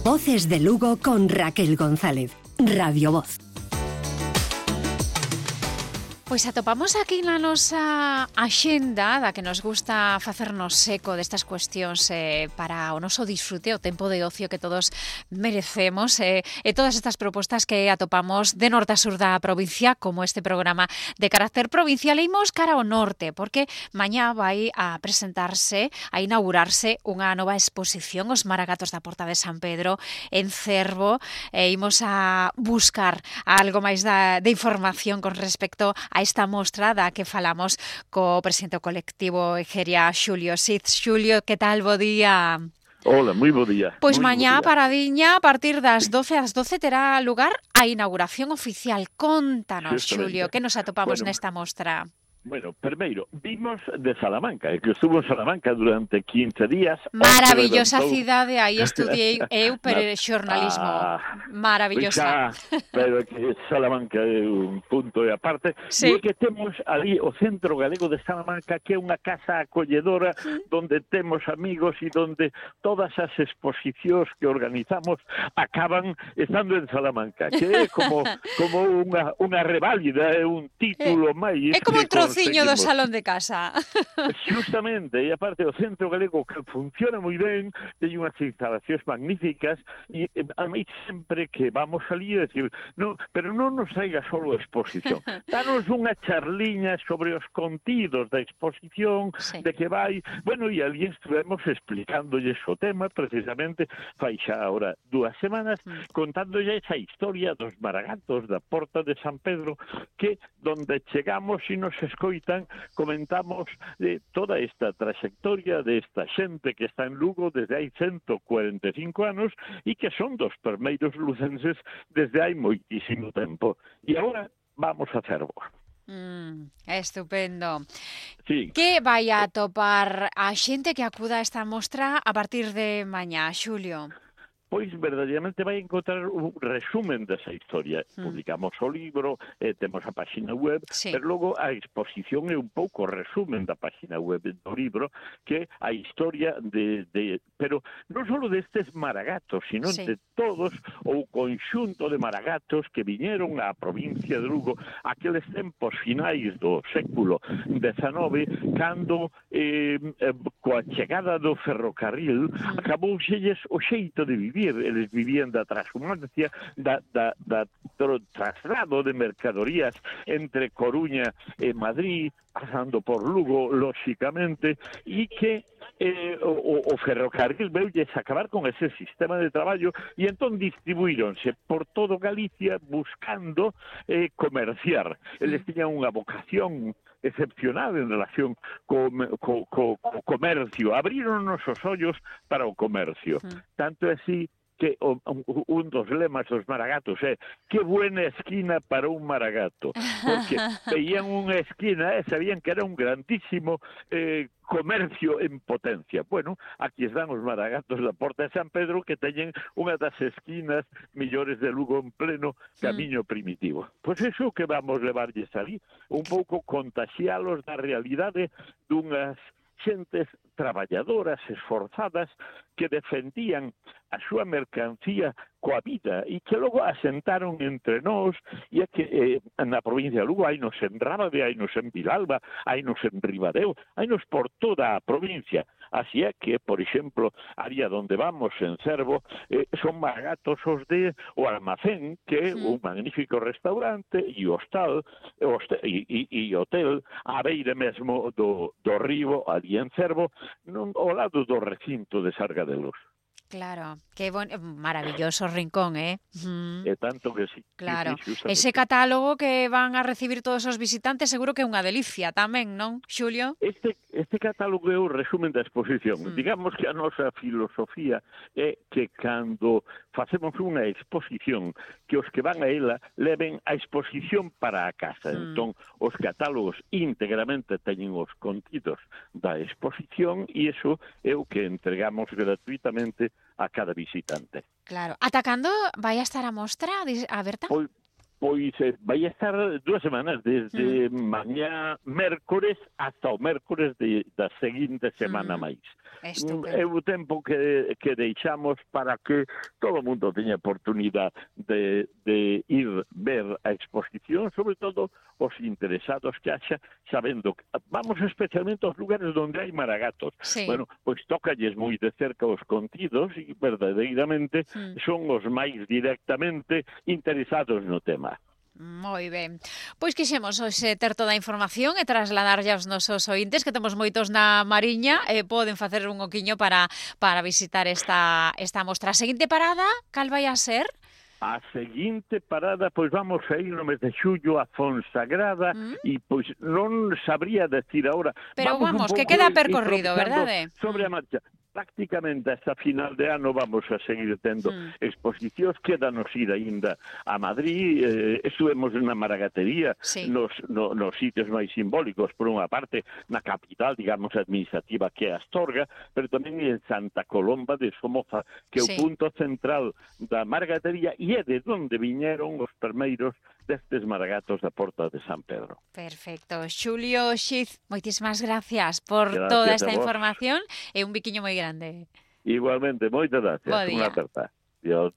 Voces de Lugo con Raquel González, Radio Voz. Pois atopamos aquí na nosa axenda da que nos gusta facernos eco destas cuestións para o noso disfrute, o tempo de ocio que todos merecemos e todas estas propostas que atopamos de norte a sur da provincia, como este programa de carácter provincial. E imos cara ao norte, porque mañá vai a presentarse, a inaugurarse unha nova exposición, os Maragatos da Porta de San Pedro, en Cervo, e imos a buscar algo máis de información con respecto a esta mostra da que falamos co presidente colectivo Egeria, Xulio Siz. Xulio, que tal? Bo día. Hola, moi bo día. Pois mañá, paradiña, a partir das 12 ás 12 terá lugar a inauguración oficial. Contanos, Xulio, que nos atopamos nesta mostra? Bueno, primeiro, vimos de Salamanca, que estuvo en Salamanca durante 15 días. Maravillosa cidade, aí estudiei eu xornalismo. Maravillosa. Pero que Salamanca é un punto de aparte. Sí. E que temos ali o Centro Galego de Salamanca, que é unha casa acolledora donde temos amigos e donde todas as exposicións que organizamos acaban estando en Salamanca, que é como unha reválida, é un título máis. É como un trociño do salón de casa. Justamente, e aparte o Centro Galego que funciona moi ben, ten unhas instalacións magníficas, e a mí sempre que vamos ali a decir, no, pero non nos traiga solo a exposición, danos unha charliña sobre os contidos da exposición, sí, de que vai, bueno, e ali estivemos explicándolles o tema, precisamente, fai xa ahora 2 semanas, contándolle esa historia dos Maragatos da Porta de San Pedro, que donde chegamos e nos escoitan, comentamos de toda esta trayectoria de esta xente que está en Lugo desde hai 145 anos e que son dos primeiros lucenses desde hai moitísimo tempo. E agora vamos a Cervo. Estupendo. Sí. Que vai a atopar a xente que acuda a esta mostra a partir de mañá, Xulio? Pois verdadeiramente vai encontrar un resumen desa historia. Publicamos o libro, temos a página web, sí, pero logo a exposición é un pouco resumen da página web do libro, que a historia pero non só destes Maragatos, sino sí, de todos o conxunto de Maragatos que viñeron á provincia de Lugo aqueles tempos finais do século XIX, cando coa chegada do ferrocarril acabouxelles o xeito de vivir. Eles vivían da transhumancia, do traslado de mercadorías entre Coruña e Madrid, pasando por Lugo, lóxicamente, e que o ferrocarril veulles acabar con ese sistema de traballo e entón distribuíronse por todo Galicia buscando comerciar. Eles tiñan unha vocación excepcional en relación co comercio. Abrironnos os ollos para o comercio. Tanto é así que un dos lemas dos Maragatos é que buena esquina para un Maragato, porque veían unha esquina e sabían que era un grandísimo comercio en potencia. Bueno, aquí están os Maragatos da Porta de San Pedro, que teñen unha das esquinas millores de Lugo en pleno camiño primitivo. Pois iso que vamos levarlles ali, un pouco contaxialos da realidade dunhas xentes traballadoras, esforzadas, que defendían a súa mercancía coa vida e que logo asentaron entre nós, e é que na provincia de Lugo hainos en Rábade, hainos en Vilalba, hainos en Ribadeo, hainos por toda a provincia. Así é que, por exemplo, área donde vamos, en Cervo, son Maragatos os de o Almacén, que é un magnífico restaurante e hostal e hotel á beira mesmo do río, ali en Cervo, ao lado do recinto de Sarga de Luz. Claro, que maravilloso rincón, É tanto que sí. Claro, sí, ese catálogo que van a recibir todos os visitantes seguro que é unha delicia tamén, non, Xulio? Este catálogo é o resumen da exposición. Digamos que a nosa filosofía é que cando facemos unha exposición, que os que van a ela leven a exposición para a casa. Entón, os catálogos íntegramente teñen os contidos da exposición e iso é o que entregamos gratuitamente a cada visitante. Claro. Ata cando vai a estar a mostra aberta? Pois vai estar 2 semanas, desde mañá mércores hasta o mércores da seguinte semana máis. É o tempo que deixamos para que todo o mundo teña oportunidade de ir ver a exposición, sobre todo os interesados que haxa, sabendo que vamos especialmente aos lugares onde hai maragatos. Sí. Bueno, pois tócalles moi de cerca os contidos e verdadeiramente son os máis directamente interesados no tema. Moi ben. Pois quixemos hoxe ter toda a información e trasladarlle aos nosos ointes, que temos moitos na Mariña, e poden facer un oquiño para visitar esta mostra. A seguinte parada, cal vai a ser? A seguinte parada, pois vamos a ir no mes de xullo a Fonsagrada e pois non sabría decir agora. Pero vamos que queda percorrido, verdade? Sobre a marcha. Prácticamente hasta final de ano vamos a seguir tendo exposicións, quédanos ir aínda a Madrid, estuvemos na Maragatería, nos sitios máis simbólicos, por unha parte, na capital, digamos, administrativa, que é Astorga, pero tamén en Santa Colomba de Somoza, que é o punto central da Maragatería e é de onde viñeron os primeiros destes maragatos da Porta de San Pedro. Perfecto. Xulio Xiz, moitísimas gracias por toda esta información e un biquiño moi grande. Igualmente, moitas gracias. Unha aperta. Dios.